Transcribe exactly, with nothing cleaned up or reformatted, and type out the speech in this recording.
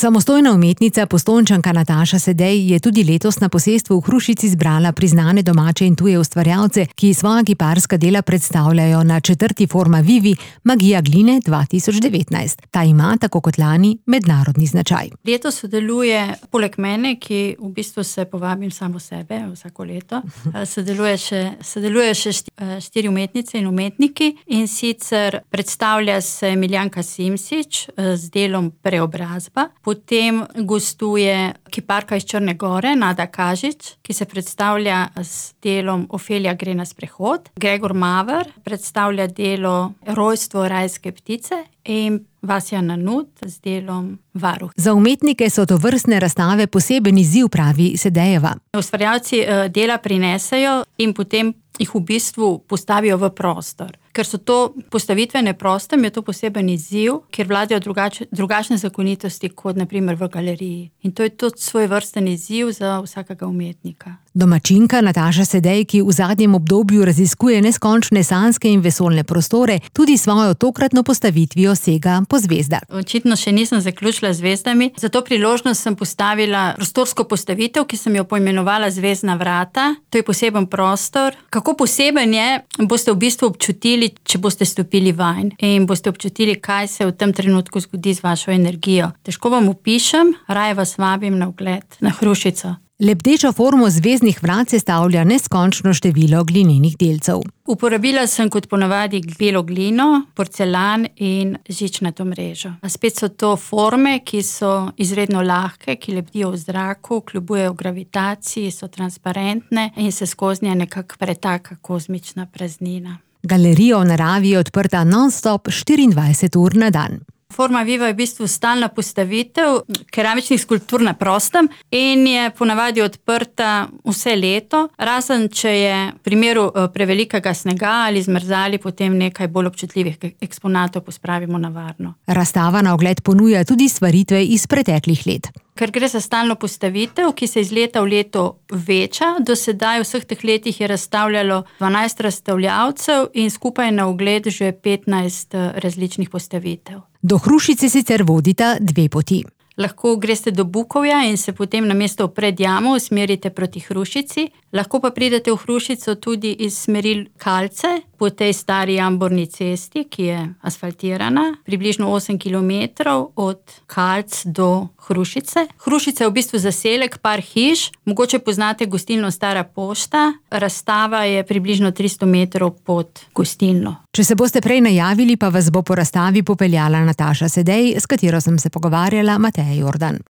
Samostojna umetnica, Postojnčanka Nataša Sedej je tudi letos na posestvu v Hrušici zbrala priznane domače in tuje ustvarjalce, ki svoja kiparska dela predstavljajo na četrti Forma Vivi Magija gline dva tisoč devetnajst. Ta ima, tako kot lani, mednarodni značaj. Letos sodeluje poleg mene, ki v bistvu se povabim samo sebe vsako leto, sodeluje še, sodeluje še štiri umetnice in umetniki, in sicer predstavlja se Miljanka Simsič z delom Preobrazba. Potem gostuje kiparka iz Črne Gore, Nada Kažič, ki se predstavlja s delom Ofelija gre na sprehod. Gregor Maver predstavlja delo Rojstvo rajske ptice in Vasja Nanut z delom Varuh. Za umetnike so to vrstne razstave poseben izziv, pravi Sedejeva. Ustvarjalci dela prinesejo in potem jih v bistvu postavijo v prostor. Ker so to postavitvene prostem, je to poseben izziv, ker vladajo drugač, drugačne zakonitosti kot na primer v galeriji. In to je tudi svoj vrsten izziv za vsakega umetnika. Domačinka Nataša Sedej, ki v zadnjem obdobju raziskuje neskončne sanjske in vesoljne prostore, tudi svojo tokratno postavitvijo sega po zvezdah. Očitno še nisem zaključila z zvezdami, zato priložnost sem postavila prostorsko postavitev, ki sem jo poimenovala Zvezdna vrata. To je poseben prostor. Kako poseben je, boste v bistvu občutili, če boste stopili vanj in boste občutili, kaj se v tem trenutku zgodi z vašo energijo. Težko vam opišem, raje vas vabim na ogled na Hrušico. Lebdečo formo zvezdnih vrat sestavlja neskončno število glinenih delcev. Uporabila sem kot ponavadi belo glino, porcelan in žičnato mrežo. A spet so to forme, ki so izredno lahke, ki lebdijo v zraku, kljubujejo gravitaciji, so transparentne in se skoznje nekako pretaka kozmična praznina. Galerija v naravi je odprta non-stop štiriindvajset ur na dan. Forma Viva je v bistvu stalna postavitev keramičnih skulptur na prostem in je ponavadi odprta vse leto, razen če je v primeru prevelikega snega ali zmrzali, potem nekaj bolj občutljivih eksponatov pospravimo na varno. Razstava na ogled ponuja tudi stvaritve iz preteklih let. Ker gre za stalno postavitev, ki se iz leta v leto veča, do sedaj v vseh teh letih je razstavljalo dvanajst razstavljavcev in skupaj na ogled že petnajst različnih postavitev. Do Hrušice sicer vodita dve poti. Lahko greste do Bukovja in se potem namesto pred jamo usmerite proti Hrušici. Lahko pa pridete v Hrušico tudi iz smeri Kalce, po tej stari jamborni cesti, ki je asfaltirana, približno osem kilometrov od Kalc do Hrušice. Hrušica je v bistvu zaselek, par hiš, mogoče poznate gostilno Stara pošta, razstava je približno tristo metrov pod gostilno. Če se boste prej najavili, pa vas bo po razstavi popeljala Nataša Sedej, s katero sem se pogovarjala, Mateja Jordan.